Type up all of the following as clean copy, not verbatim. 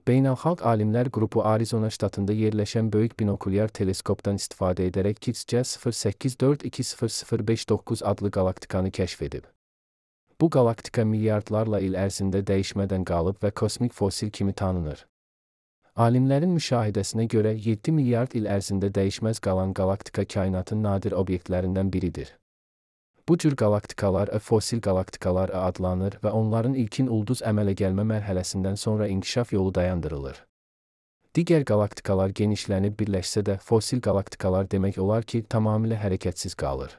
Beynəlxalq Alimlər Qrupu Arizona ştatında yerləşən böyük binokulyar teleskopdan istifadə edərək KITS-C 0842000509 adlı qalaktikanı kəşf edib. Bu qalaktika milyardlarla il ərzində dəyişmədən qalıb və kosmik fosil kimi tanınır. Alimlərin müşahidəsinə görə 7 milyard il ərzində dəyişməz qalan qalaktika kainatın nadir obyektlərindən biridir. Bu cür qalaktikalar fosil qalaktikalar adlanır və onların ilkin ulduz əmələ gəlmə mərhələsindən sonra inkişaf yolu dayandırılır. Digər qalaktikalar genişlənib birləşsə də fosil qalaktikalar demək olar ki, tamamilə hərəkətsiz qalır.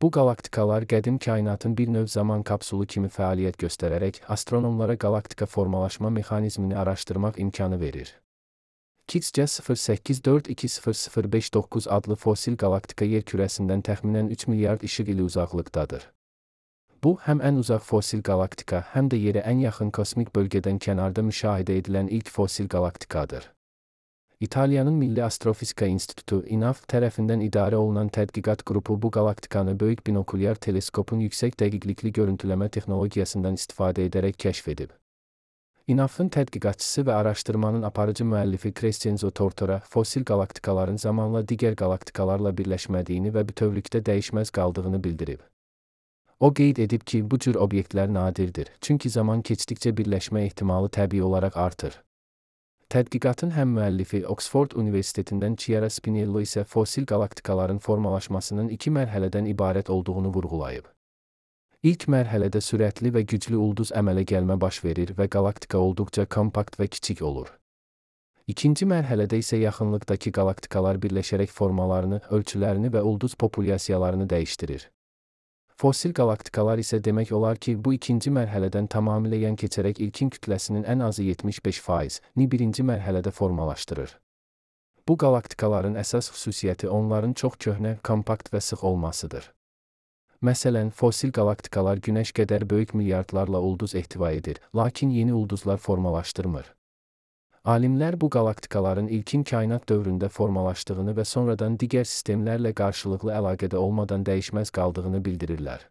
Bu qalaktikalar qədim kainatın bir növ zaman kapsulu kimi fəaliyyət göstərərək astronomlara qalaktika formalaşma mexanizmini araşdırmaq imkanı verir. KITS-C 0842000509 adlı fosil qalaktika yer kürəsindən təxminən 3 milyard işıq ili uzaqlıqdadır. Bu, həm ən uzaq fosil qalaktika, həm də yerə ən yaxın kosmik bölgədən kənarda müşahidə edilən ilk fosil qalaktikadır. İtaliyanın Milli Astrofizika İnstitutu (INAF) tərəfindən idarə olunan tədqiqat qrupu bu qalaktikanı böyük binokulyar teleskopun yüksək dəqiqlikli görüntüləmə texnologiyasından istifadə edərək kəşf edib. INAF-ın tədqiqatçısı və araşdırmanın aparıcı müəllifi Crescenzo Tortora fosil qalaktikaların zamanla digər qalaktikalarla birləşmədiyini və bütövlükdə dəyişməz qaldığını bildirib. O qeyd edib ki, bu cür obyektlər nadirdir, çünki zaman keçdikcə birləşmə ehtimalı təbii olaraq artır. Tədqiqatın həm müəllifi Oxford Universitetindən Chiara Spinello isə fosil qalaktikaların formalaşmasının 2 mərhələdən ibarət olduğunu vurğulayıb. İlk mərhələdə sürətli və güclü ulduz əmələ gəlmə baş verir və qalaktika olduqca kompakt və kiçik olur. İkinci mərhələdə isə yaxınlıqdakı qalaktikalar birləşərək formalarını, ölçülərini və ulduz populyasiyalarını dəyişdirir. Fosil qalaktikalar isə demək olar ki, bu ikinci mərhələdən tamamilə yan keçərək ilkin kütləsinin ən azı 75%-ni birinci mərhələdə formalaşdırır. Bu qalaktikaların əsas xüsusiyyəti onların çox köhnə, kompakt və sıx olmasıdır. Məsələn, fosil qalaktikalar Günəş qədər böyük milyardlarla ulduz ehtiva edir, lakin yeni ulduzlar formalaşdırmır. Alimlər bu qalaktikaların ilkin kainat dövründə formalaşdığını və sonradan digər sistemlərlə qarşılıqlı əlaqədə olmadan dəyişməz qaldığını bildirirlər.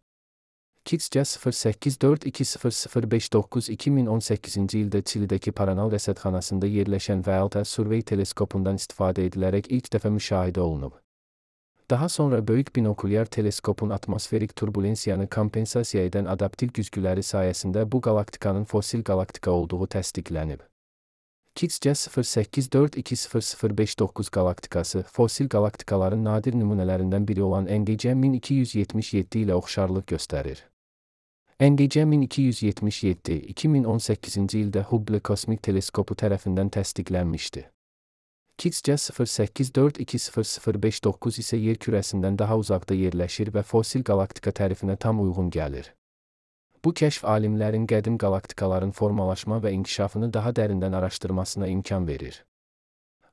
KITS-C 0842000509 2018-ci ildə Çilidəki Paranal rəsədxanasında yerləşən Vəlta Survey teleskopundan istifadə edilərək ilk dəfə müşahidə olunub. Daha sonra böyük binokulyar teleskopun atmosferik turbulensiyanı kompensasiya edən adaptiv güzgüləri sayəsində bu qalaktikanın fosil qalaktika olduğu təsdiqlənib. KITS-C 0842000509 qalaktikası fosil qalaktikaların nadir nümunələrindən biri olan NGC 1277 ilə oxşarlıq göstərir. NGC 1277 2018-ci ildə Hubble kosmik teleskopu tərəfindən təsdiqlənmişdi. KITS-C 0842000509 isə yer kürəsindən daha uzaqda yerləşir və fosil qalaktika tərifinə tam uyğun gəlir. Bu kəşf alimlərin qədim qalaktikaların formalaşma və inkişafını daha dərindən araşdırmasına imkan verir.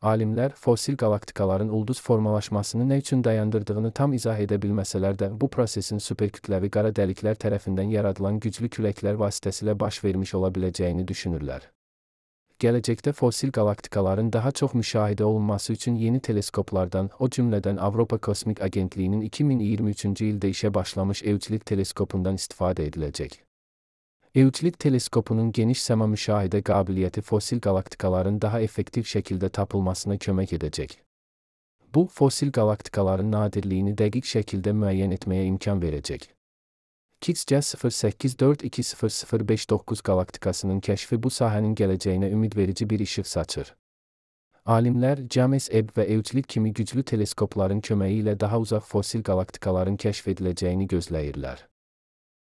Alimlər fosil qalaktikaların ulduz formalaşmasını nə üçün dayandırdığını tam izah edə bilməsələr də, bu prosesin superkütləvi qara dəliklər tərəfindən yaradılan güclü küləklər vasitəsilə baş vermiş ola biləcəyini düşünürlər. Gələcəkdə fosil qalaktikaların daha çox müşahidə olunması üçün yeni teleskoplardan, o cümlədən Avropa Kosmik Agentliyinin 2023-cü ildə işə başlamış Euclid teleskopundan istifadə ediləcək. Euclid teleskopunun geniş səma müşahidə qabiliyyəti fosil qalaktikaların daha effektiv şəkildə tapılmasına kömək edəcək. Bu, fosil qalaktikaların nadirliyini dəqiq şəkildə müəyyən etməyə imkan verəcək. KITS-C 0842000509 qalaktikasının kəşfi bu sahənin gələcəyinə ümidverici bir işıq saçır. Alimlər James Webb və Euclid kimi güclü teleskopların köməyi ilə daha uzaq fosil qalaktikaların kəşf ediləcəyini gözləyirlər.